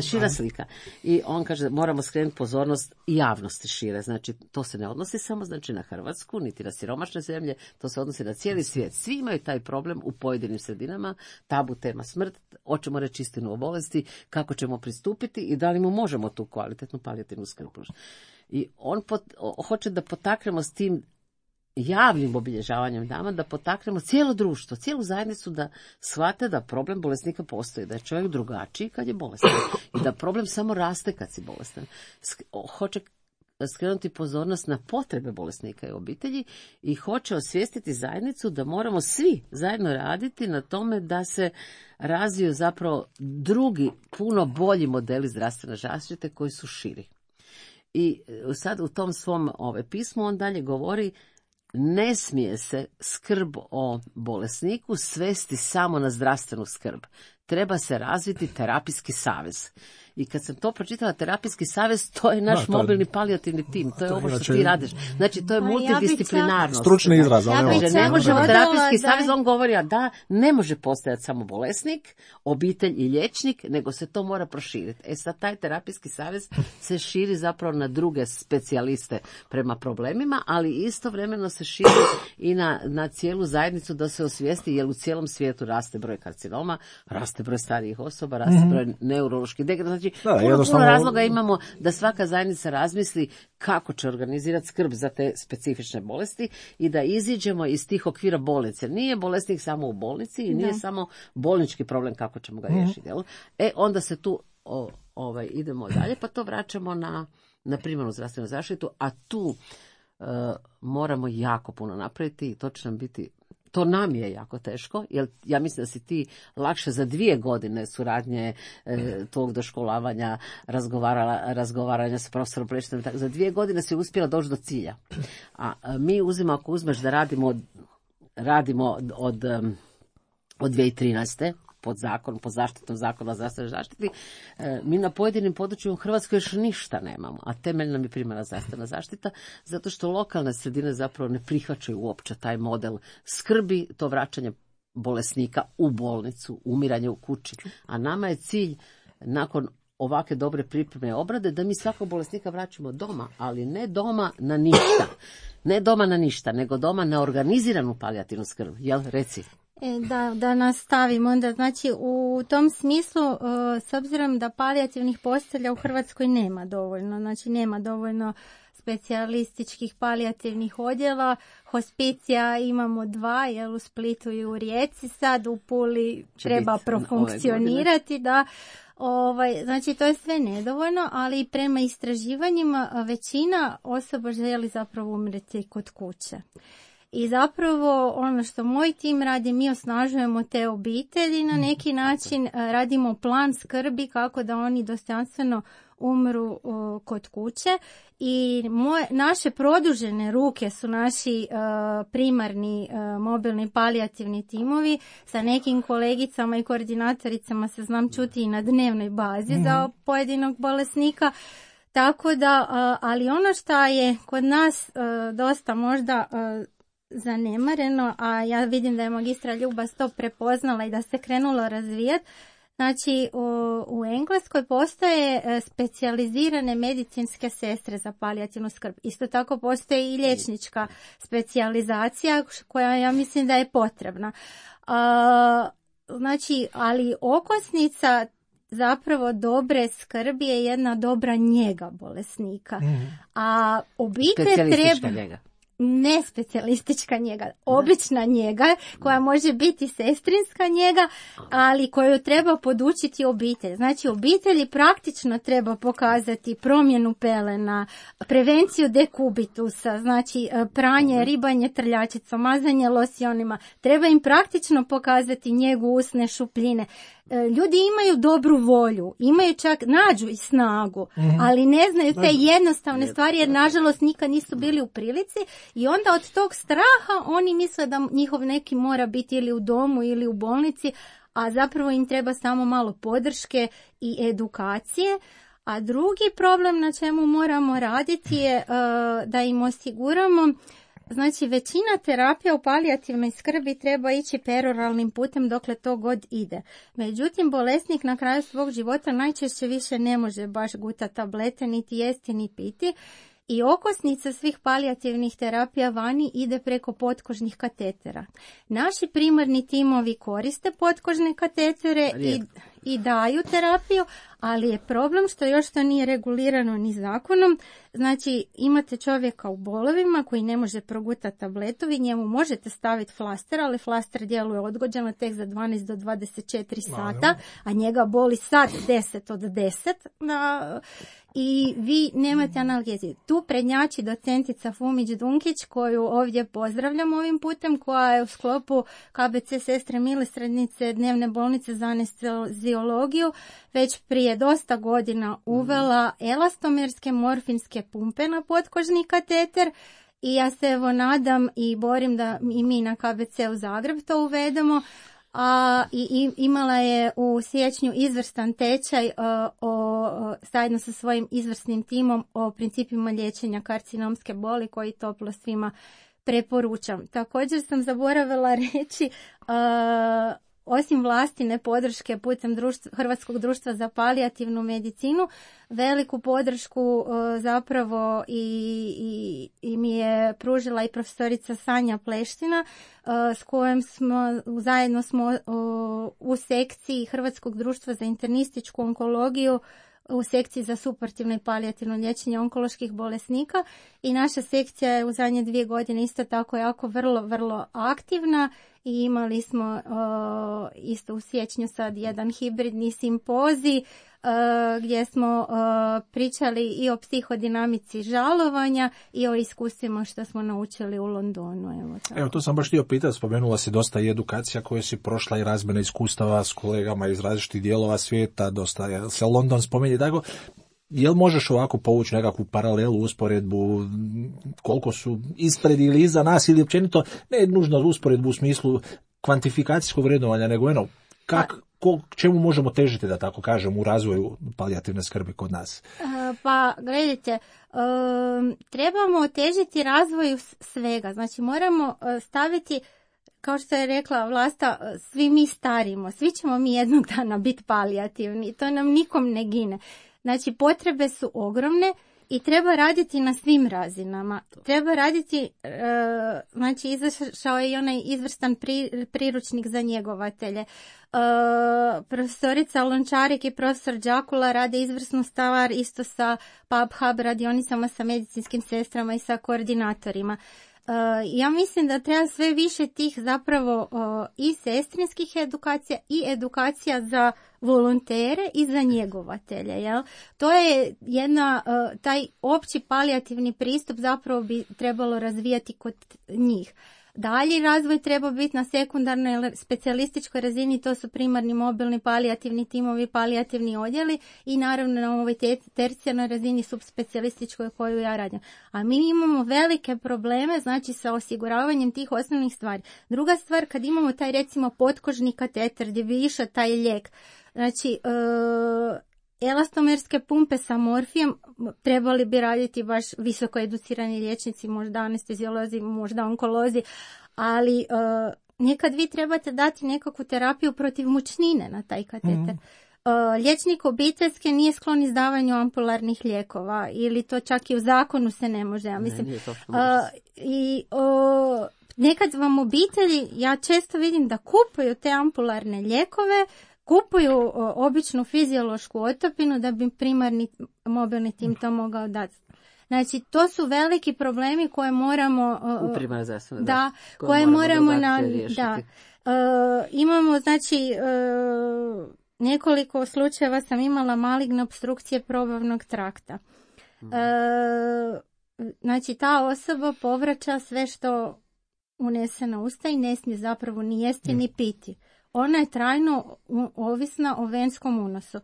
Šira slika. I on kaže moramo skrenuti pozornost i javnosti šire. Znači to se ne odnosi samo na Hrvatsku, niti na siromašne zemlje, to se odnosi na cijeli svijet. Svi imaju taj problem u pojedinim sredinama, tabu tema smrt, hoćemo reći istinu o bolesti, kako ćemo pristupiti i da li mu možemo tu kvalitetnu palijativnu skrb. I on hoće da potaknemo s tim javnim obilježavanjem dana, da potaknemo cijelo društvo, cijelu zajednicu da shvate da problem bolesnika postoji, da je čovjek drugačiji kad je bolestan i da problem samo raste kad si bolestan. Hoće skrenuti pozornost na potrebe bolesnika i obitelji i hoće osvijestiti zajednicu da moramo svi zajedno raditi na tome da se razviju zapravo drugi, puno bolji modeli zdravstvene zaštite koji su širi. I sad u tom svom pismu on dalje govori ne smije se skrb o bolesniku svesti samo na zdravstvenu skrb. Treba se razviti terapijski savez. I kad sam to pročitala, terapijski savez, to je naš mobilni palijativni tim. To je ovo što ti radiš. Znači, to je multidisciplinarnost. Stručni izraz. Ne možemo terapijski savez, on govori da ne može postojati samo bolesnik, obitelj i liječnik, nego se to mora proširiti. Sad taj terapijski savez se širi zapravo na druge specijaliste prema problemima, ali istovremeno se širi i na cijelu zajednicu da se osvijesti, jer u cijelom svijetu raste broj karcinoma, raste broj starijih osoba, raste broj neuroloških degradacija. Znači, puno razloga imamo da svaka zajednica razmisli kako će organizirati skrb za te specifične bolesti i da iziđemo iz tih okvira bolnice. Nije bolesnik samo u bolnici i nije samo bolnički problem kako ćemo ga riješiti. Onda se tu idemo dalje, pa to vraćamo na primarnu zdravstvenu zaštitu, a tu moramo jako puno napraviti i to će nam biti... To nam je jako teško, jer ja mislim da si ti lakše za 2 godine suradnje tvog doškolavanja, razgovaranja sa profesorom Plešićem, za 2 godine si uspjela doći do cilja. A mi ako uzmeš da radimo od 2013. pod zaštitom zakona o zdravstvenoj zaštiti, mi na pojedinim područjima u Hrvatskoj još ništa nemamo, a temelj nam je primarna zdravstvena zaštita, zato što lokalne sredine zapravo ne prihvaćaju uopće taj model skrbi, to vraćanje bolesnika u bolnicu, umiranje u kući. A nama je cilj, nakon ovakve dobre pripreme obrade, da mi svakog bolesnika vraćamo doma, ali ne doma na ništa. Ne doma na ništa, nego doma na organiziranu palijativnu skrb. Jel, reci? Da nastavim onda, znači u tom smislu, s obzirom da palijativnih postelja u Hrvatskoj nema dovoljno, znači nema dovoljno specijalističkih palijativnih odjela, hospicija imamo 2, u Splitu i u Rijeci, sad u Puli treba profunkcionirati, da. Znači to je sve nedovoljno, ali prema istraživanjima većina osoba želi zapravo umreti kod kuće. I zapravo ono što moj tim radi, mi osnažujemo te obitelji na neki način, radimo plan skrbi kako da oni dostojanstveno umru kod kuće i naše produžene ruke su naši primarni mobilni palijativni timovi. Sa nekim kolegicama i koordinatoricama se znam čuti i na dnevnoj bazi za pojedinog bolesnika. Tako da, ali ono što je kod nas dosta možda zanemareno, a ja vidim da je magistra Ljuba to prepoznala i da se krenulo razvijati. Znači, u Engleskoj postoje specijalizirane medicinske sestre za palijativnu skrb. Isto tako postoji i liječnička specijalizacija koja ja mislim da je potrebna. Znači, ali okosnica zapravo dobre skrbi je jedna dobra njega bolesnika. A obitelj treba... njega. nespecijalistička njega, obična njega koja može biti sestrinska njega, ali koju treba podučiti obitelj. Znači obitelji praktično treba pokazati promjenu pelena, prevenciju dekubitusa, znači pranje, ribanje trljačicom, mazanje losionima. Treba im praktično pokazati njegu usne šupljine. Ljudi imaju dobru volju, imaju čak, nađu i snagu, ali ne znaju te jednostavne stvari jer nažalost nikad nisu bili u prilici i onda od tog straha oni misle da njihov neki mora biti ili u domu ili u bolnici, a zapravo im treba samo malo podrške i edukacije. A drugi problem na čemu moramo raditi je da im osiguramo. Znači, većina terapija u palijativnoj skrbi treba ići peroralnim putem dokle to god ide. Međutim, bolesnik na kraju svog života najčešće više ne može baš gutati tablete, niti jesti, ni piti. I okosnica svih palijativnih terapija vani ide preko potkožnih katetera. Naši primarni timovi koriste potkožne katetere i daju terapiju, ali je problem što još to nije regulirano ni zakonom. Znači, imate čovjeka u bolovima koji ne može progutati tabletu, vi njemu možete staviti flaster, ali flaster djeluje odgođeno tek za 12 do 24 sata, a njega boli sad 10 od 10 i vi nemate analgeziju. Tu prednjači docentica Fumić-Dunkić, koju ovdje pozdravljam ovim putem, koja je u sklopu KBC Sestre Milosrdnice dnevne bolnice za anesteziologiju već prije dosta godina uvela elastomerske morfinske pumpe na potkožni kateter i ja se nadam i borim da i mi na KBC-u Zagreb to uvedemo. I imala je u siječnju izvrstan tečaj zajedno sa svojim izvrsnim timom o principima liječenja karcinomske boli koji toplo svima preporučam. Također sam zaboravila reći, osim vlastine podrške putem Hrvatskog društva za palijativnu medicinu, veliku podršku zapravo i mi je pružila i profesorica Sanja Pleština, s kojom zajedno smo u sekciji Hrvatskog društva za internističku onkologiju u sekciji za suportivno i palijativno liječenje onkoloških bolesnika i naša sekcija je u zadnje 2 godine isto tako jako vrlo aktivna i imali smo isto u siječnju sad jedan hibridni simpozij gdje smo pričali i o psihodinamici žalovanja i o iskustvima što smo naučili u Londonu. Evo, to sam baš htio pitati, spomenula si dosta i edukacija koje si prošla i razmjena iskustava s kolegama iz različitih dijelova svijeta, dosta se London spominje, tako. Jel možeš ovako povući nekakvu paralelu, usporedbu, koliko su ispred ili iza nas ili općenito, ne nužno usporedbu u smislu kvantifikacijskog vrednovanja, nego čemu možemo težiti, da tako kažem, u razvoju palijativne skrbi kod nas? Pa, gledajte, trebamo težiti razvoju svega. Znači, moramo staviti, kao što je rekla Vlasta, svi mi starimo, svi ćemo mi jednog dana biti palijativni, to nam nikom ne gine. Znači, potrebe su ogromne i treba raditi na svim razinama. Treba raditi, znači, izašao je i onaj izvrstan priručnik za njegovatelje. Profesorica Lončarik i profesor Đakula rade izvrsnu stvar isto sa PubHub radionicama, sa medicinskim sestrama i sa koordinatorima. Ja mislim da treba sve više tih zapravo i sestrinskih edukacija i edukacija za volontere i za njegovatelje. Jel? To je taj opći palijativni pristup zapravo bi trebalo razvijati kod njih. Dalji razvoj treba biti na sekundarnoj ili specijalističkoj razini, to su primarni mobilni palijativni timovi, palijativni odjeli i naravno na ovoj tercijarnoj razini subspecijalističkoj koju ja radim. A mi imamo velike probleme, znači sa osiguravanjem tih osnovnih stvari. Druga stvar, kad imamo taj recimo potkožni kateter gdje bi išao taj lijek, znači elastomerske pumpe sa morfijem trebali bi raditi baš visoko educirani liječnici, možda anesteziolozi, možda onkolozi, ali nekad vi trebate dati nekakvu terapiju protiv mučnine na taj kateter. Liječnik obiteljske nije sklon izdavanju ampularnih lijekova ili to čak i u zakonu se ne može. Ja mislim, nekad vam obitelji, ja često vidim da kupuju te ampularne lijekove, kupuju običnu fiziološku otopinu da bi primarni mobilni tim to mogao dati. Znači, to su veliki problemi koje moramo... u primarnoj zdravstvenoj koje moramo imamo, znači, nekoliko slučajeva sam imala maligne opstrukcije probavnog trakta. Znači, ta osoba povraća sve što unese na usta i ne smije zapravo ni jesti ni piti. Ona je trajno ovisna o venskom unosu.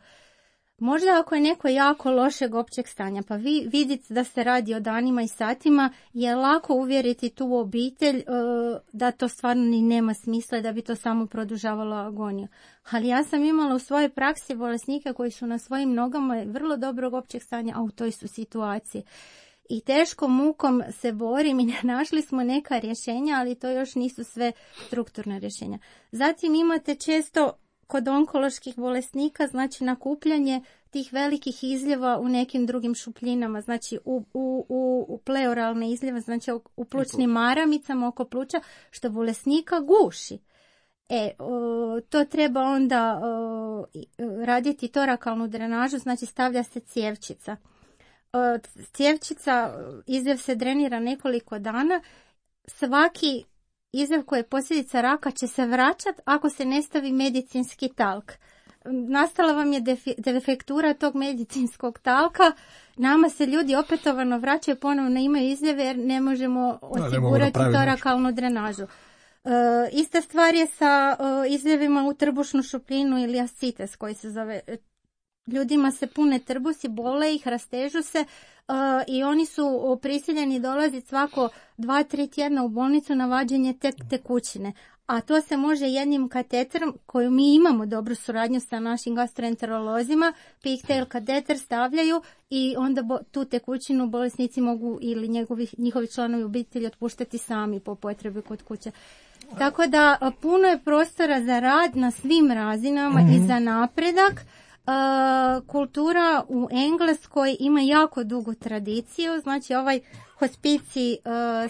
Možda ako je neko jako lošeg općeg stanja, pa vi vidite da se radi o danima i satima, je lako uvjeriti tu obitelj da to stvarno ni nema smisla i da bi to samo produžavalo agoniju. Ali ja sam imala u svojoj praksi bolesnike koji su na svojim nogama vrlo dobrog općeg stanja, a u toj su situaciji. I teškom mukom se borim i našli smo neka rješenja, ali to još nisu sve strukturna rješenja. Zatim imate često kod onkoloških bolesnika, znači nakupljanje tih velikih izljeva u nekim drugim šupljinama, znači u pleuralne izljeve, znači u plućnim maramicama oko pluća, što bolesnika guši. To treba onda raditi torakalnu drenažu, znači stavlja se cjevčica. Cjevčica, izljev se drenira nekoliko dana, svaki izljev koji je posljedica raka će se vraćati ako se ne stavi medicinski talk. Nastala vam je defektura tog medicinskog talka, nama se ljudi opetovano vraćaju, ponovno imaju izljeve jer ne možemo osigurati torakalnu drenažu. Ista stvar je sa izljevima u trbušnu šupljinu ili ascites koji se zove. Ljudima se pune trbusi, bole ih, rastežu se i oni su prisiljeni dolaziti svako 2-3 tjedna u bolnicu na vađenje tekućine. A to se može jednim kateterom, koju mi imamo dobru suradnju sa našim gastroenterolozima, pigtail kateter stavljaju i onda tu tekućinu bolesnici mogu ili njihovi članovi obitelji otpuštati sami po potrebi kod kuće. Tako da puno je prostora za rad na svim razinama i za napredak. Kultura u Engleskoj ima jako dugu tradiciju, znači ovaj hospicij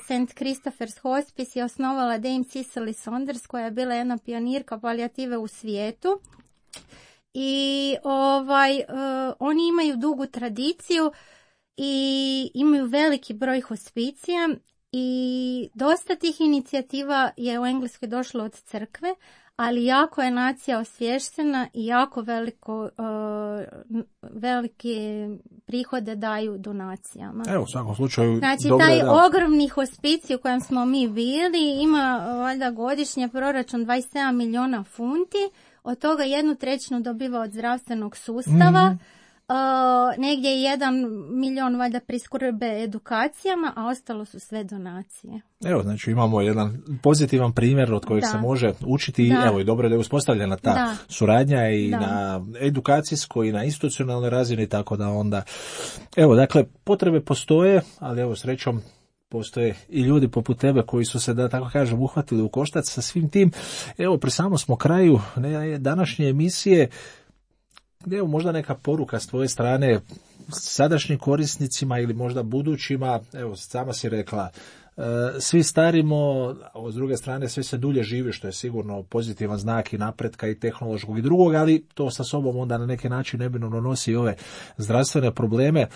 St. Christopher's Hospice je osnovala Dame Cicely Saunders koja je bila jedna pionirka palijative u svijetu i oni imaju dugu tradiciju i imaju veliki broj hospicija i dosta tih inicijativa je u Engleskoj došlo od crkve, ali jako je nacija osvještena i jako velike prihode daju donacijama. Evo, u svakom slučaju... Znači, taj ogromni hospicij u kojem smo mi bili ima valjda godišnje proračun 27 milijuna funti, od toga 1/3 dobiva od zdravstvenog sustava, negdje 1 milijon valjda priskrbe edukacijama, a ostalo su sve donacije. Evo, znači imamo jedan pozitivan primjer od kojeg se može učiti i evo i dobro je da je uspostavljena ta suradnja i na edukacijskoj i na institucionalnoj razini, tako da onda evo, dakle, potrebe postoje, ali evo srećom postoje i ljudi poput tebe koji su se, da tako kažem, uhvatili u koštac sa svim tim. Evo, pri samom smo kraju današnje emisije. Evo, možda neka poruka s tvoje strane sadašnjim korisnicima ili možda budućima. Evo, sama si rekla, svi starimo, a s druge strane svi se dulje živi, što je sigurno pozitivan znak i napretka i tehnološkog i drugog, ali to sa sobom onda na neki način neminovno nosi i ove zdravstvene probleme.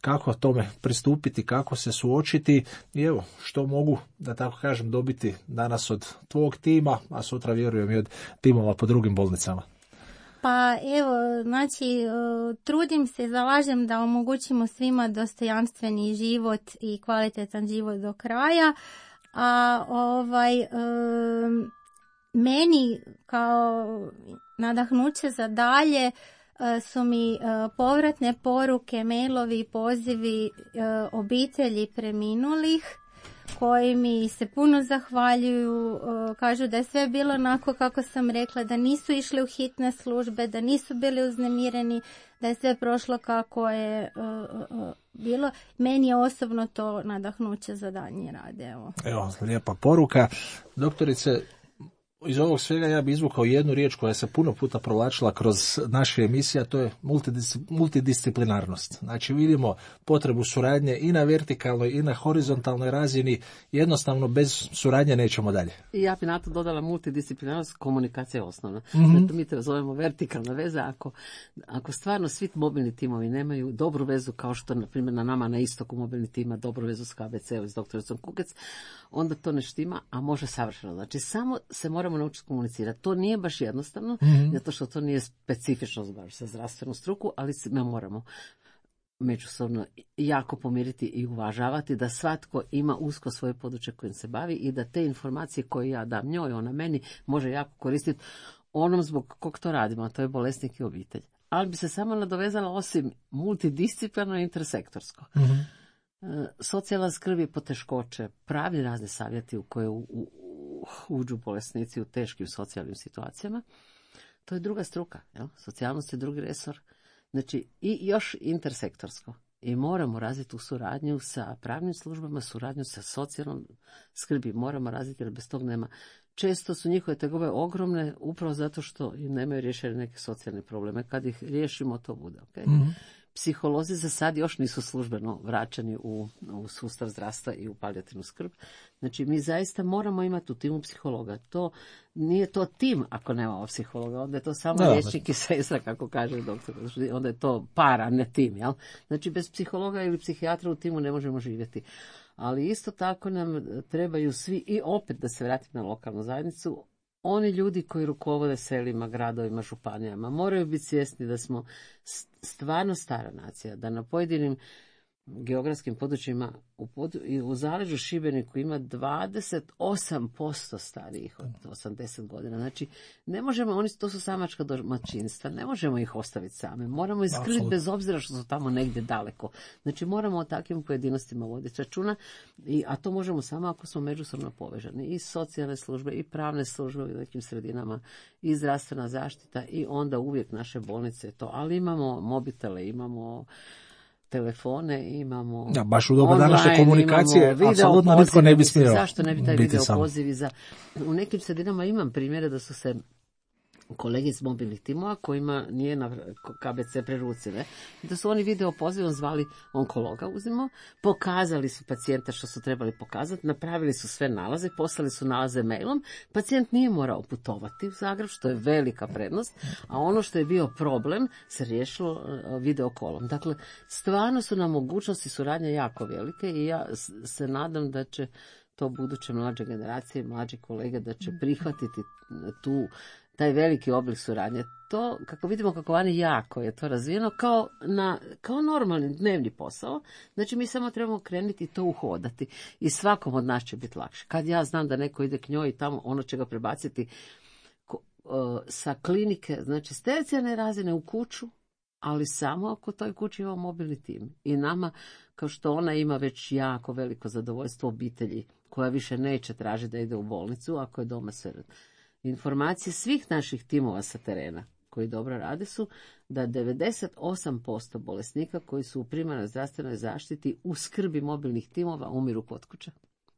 Kako tome pristupiti, kako se suočiti i evo, što mogu, da tako kažem, dobiti danas od tvog tima, a sutra vjerujem i od timova po drugim bolnicama. Pa evo, znači, trudim se, zalažem da omogućimo svima dostojanstveni život i kvalitetan život do kraja, a meni kao nadahnuće za dalje su mi povratne poruke, mailovi, pozivi obitelji preminulih koji mi se puno zahvaljuju, kažu da je sve bilo onako kako sam rekla, da nisu išli u hitne službe, da nisu bili uznemireni, da je sve prošlo kako je bilo. Meni je osobno to nadahnuće za daljnji rad. Evo, lijepa poruka. Doktorice, iz ovog svega ja bi izvukao jednu riječ koja se puno puta provlačila kroz naše emisije, a to je multidisciplinarnost. Znači vidimo potrebu suradnje i na vertikalnoj i na horizontalnoj razini, jednostavno bez suradnje nećemo dalje. I ja bi na to dodala multidisciplinarnost, komunikacija je osnovna. Mi to zovemo vertikalna veza. Ako stvarno svi mobilni timovi nemaju dobru vezu, kao što na primjer na nama na istoku mobilni tim ima dobru vezu s KBC-om i s doktoricom Kukec, onda to ne štima, a može savršeno. Znači samo se moramo naučiti komunicirati. To nije baš jednostavno, zato što to nije specifično baš za zdravstvenu struku, ali mi moramo međusobno jako pomiriti i uvažavati da svatko ima usko svoje područje kojim se bavi i da te informacije koje ja dam njoj, ona meni može jako koristiti onom zbog kog to radimo, a to je bolesnik i obitelj. Ali bi se samo nadovezala osim multidisciplinarno i intersektorsko. Socijalna skrb i poteškoće, pravi razni savjeti u koje uđu bolesnici u teškim socijalnim situacijama, to je druga struka. Jel? Socijalnost je drugi resor. Znači, i još intersektorsko. I moramo razviti tu suradnju sa pravnim službama, suradnju sa socijalnom skrbi. Moramo razviti jer bez tog nema. Često su njihove tegobe ogromne upravo zato što nemaju riješene neke socijalne probleme. Kad ih riješimo, to bude. Okay? Psiholozi za sad još nisu službeno vraćani u sustav zdravstva i u palijativnu skrb. Znači, mi zaista moramo imati u timu psihologa. To nije to tim ako nemamo psihologa, onda je to samo liječnik i sestra, kako kaže doktor. Onda je to para, ne tim. Jel? Znači, bez psihologa ili psihijatra u timu ne možemo živjeti. Ali isto tako nam trebaju svi, i opet da se vratim na lokalnu zajednicu, oni ljudi koji rukovode selima, gradovima, županijama, moraju biti svjesni da smo stvarno stara nacija, da na pojedinim geografskim područjima u zaleđu Šibeniku ima 28% starijih od 80 godina. Znači, ne možemo, to su samačka domaćinstva, ne možemo ih ostaviti same. Moramo ih skrbiti bez obzira što su tamo negdje daleko. Znači, moramo o takvim pojedinostima voditi računa, a to možemo samo ako smo međusobno povežani. I socijalne službe, i pravne službe u nekim sredinama, i zdravstvena zaštita, i onda uvijek naše bolnice to. Ali imamo mobitele, imamo telefone, imamo baš u doba današnje komunikacije apsolutno nitko ne bi smio. Zašto ne bi taj video pozivi u nekim sredinama imam primjere da su se kolege iz mobilnih timova kojima nije na KBC prerucile, da su oni video pozivom zvali onkologa, pokazali su pacijenta što su trebali pokazati, napravili su sve nalaze, poslali su nalaze mailom, pacijent nije morao putovati u Zagreb, što je velika prednost, a ono što je bio problem se riješilo video kolom. Dakle, stvarno su nam mogućnosti suradnje jako velike i ja se nadam da će to buduće mlađe generacije, mlađi kolege da će prihvatiti taj veliki oblik suradnje. To, kako vidimo kako vani jako je to razvijeno, kao normalni dnevni posao. Znači, mi samo trebamo krenuti i to uhodati. I svakom od nas će biti lakše. Kad ja znam da neko ide k njoj i tamo ono će ga prebaciti sa klinike, znači s tercijarne razine u kuću, ali samo ako u toj kući ima mobilni tim. I nama, kao što ona ima već jako veliko zadovoljstvo obitelji, koja više neće tražiti da ide u bolnicu, ako je doma sve. Informacije svih naših timova sa terena koji dobro rade su da 98% bolesnika koji su u primarnoj zdravstvenoj zaštiti u skrbi mobilnih timova umiru kod kuće.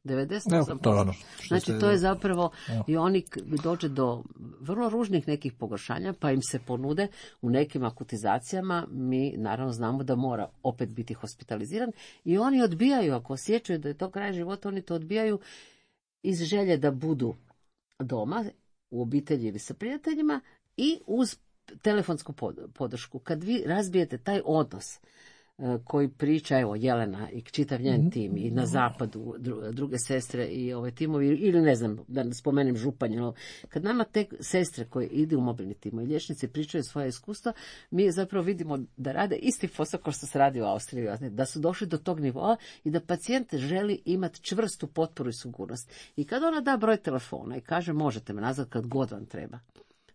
98%. Znači, to je zapravo i oni dođe do vrlo ružnih nekih pogoršanja, pa im se ponude u nekim akutizacijama. Mi naravno znamo da mora opet biti hospitaliziran i oni odbijaju, ako osjećaju da je to kraj života, oni to odbijaju iz želje da budu doma, u obitelji ili sa prijateljima i uz telefonsku podršku. Kad vi razbijete taj odnos koji priča, evo, Jelena i čitav njen tim i na zapadu druge sestre i ove timovi, ili ne znam, da spomenem Županju, kad nama te sestre koje idu u mobilni timo i liječnici pričaju svoje iskustva, mi zapravo vidimo da rade isti posao kao što se radi u Austriji, da su došli do tog nivoa i da pacijent želi imati čvrstu potporu i sigurnost. I kad ona da broj telefona i kaže možete me nazvati kad god vam treba,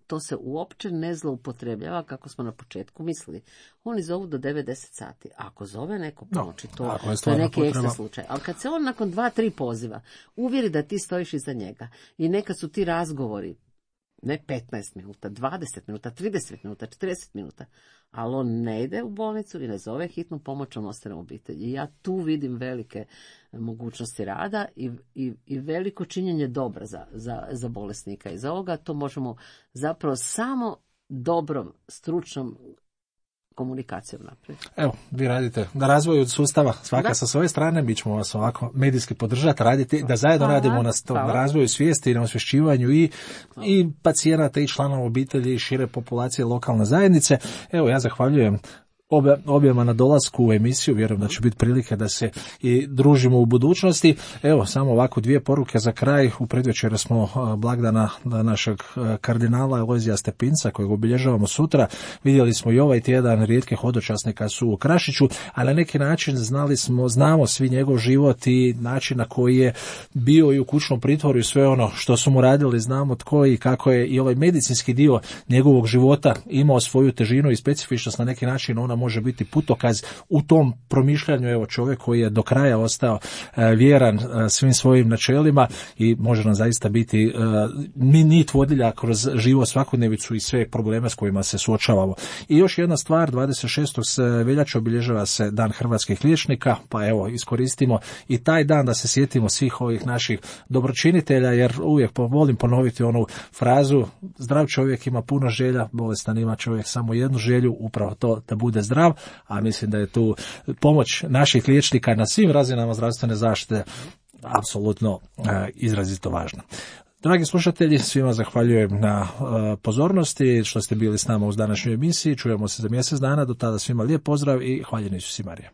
to se uopće ne zloupotrebljava kako smo na početku mislili. Oni zovu do 9-10 sati. Ako zove neko ponoći, to je neki ekstra slučaj. Ali kad se on nakon 2-3 poziva uvjeri da ti stojiš iza njega i neka su ti razgovori ne 15 minuta, 20 minuta, 30 minuta, 40 minuta, ali on ne ide u bolnicu i ne zove hitnu pomoć, on ostane u obitelji. I ja tu vidim velike mogućnosti rada i veliko činjenje dobra za bolesnika. Iz ovoga to možemo zapravo samo dobrom, stručnom komunikacijom napraviti. Evo, vi radite na razvoju sustava, svaka sa svoje strane, mi ćemo vas ovako medijski podržati, raditi, da zajedno radimo na razvoju svijesti i na osvješćivanju i pacijenata i članova obitelji i šire populacije lokalne zajednice. Evo, ja zahvaljujem objema na dolasku u emisiju, vjerujem da će biti prilike da se i družimo u budućnosti. Evo, samo ovako 2 poruke za kraj. U predvečer smo blagdana našeg kardinala Alojzija Stepinca, kojeg obilježavamo sutra. Vidjeli smo i ovaj tjedan rijetke hodočasnika su u Krašiću, a na neki način znamo svi njegov život i način na koji je bio i u kućnom pritvoru i sve ono što su mu radili, znamo tko i kako je i ovaj medicinski dio njegovog života imao svoju težinu i specifičnost. Na neki način ona može biti putokaz u tom promišljanju. Evo, čovjek koji je do kraja ostao vjeran svim svojim načelima i može nam zaista biti nit vodilja kroz život, svakodnevicu i sve probleme s kojima se suočavamo. I još jedna stvar, 26. veljače obilježava se Dan hrvatskih liječnika, pa evo, iskoristimo i taj dan da se sjetimo svih ovih naših dobročinitelja, jer uvijek volim ponoviti onu frazu: zdrav čovjek ima puno želja, bolestan ima čovjek samo jednu želju, upravo to da bude zdrav, a mislim da je tu pomoć naših liječnika na svim razinama zdravstvene zaštite apsolutno izrazito važna. Dragi slušatelji, svima zahvaljujem na pozornosti što ste bili s nama uz današnju emisiji. Čujemo se za mjesec dana, do tada svima lijep pozdrav i hvaljeni Isus Marija.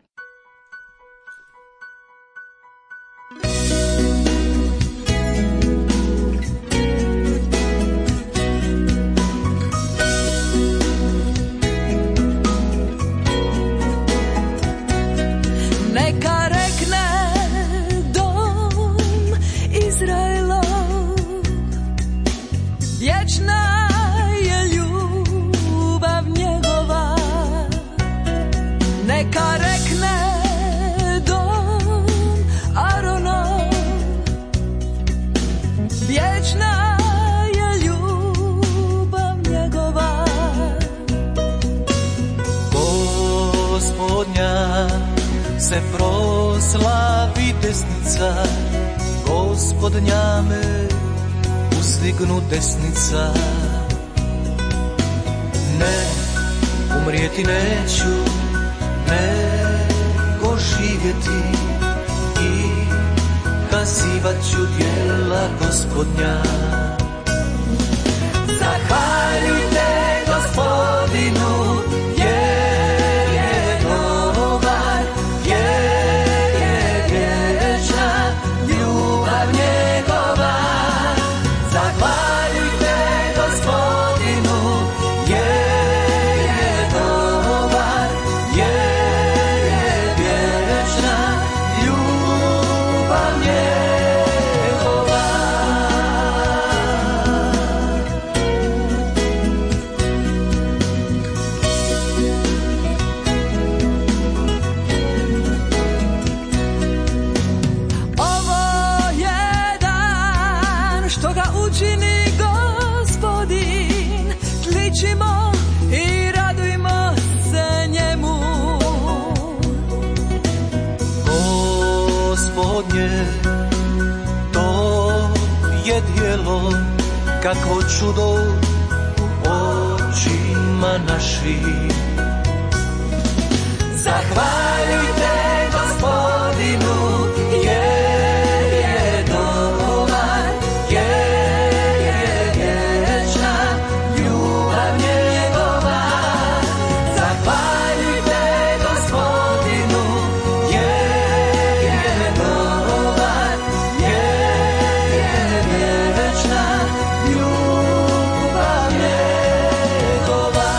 Se proslavi desnica, Gospodnja me uzdignu desnica. Ne, umrijeti neću, nego živjeti i kazivat ću djela Gospodnja. Zahvaljujte Gospodinu, kakvo čudo u očima naših. Zahvaljujte Gospodinu, jer je dobar, jer je vječna ljubav njegova. Zahvaljujte Gospodinu, jer je dobar, jer je vječna ljubav njegova.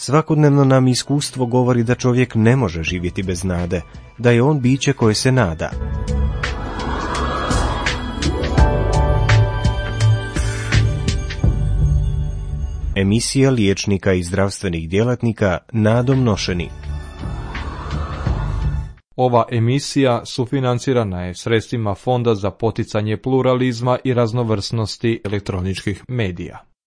Svakodnevno nam iskustvo govori da čovjek ne može živjeti bez nade, da je on biće koje se nada. Emisija liječnika i zdravstvenih djelatnika Nadom Nošeni. Ova emisija sufinancirana je sredstvima Fonda za poticanje pluralizma i raznovrsnosti elektroničkih medija.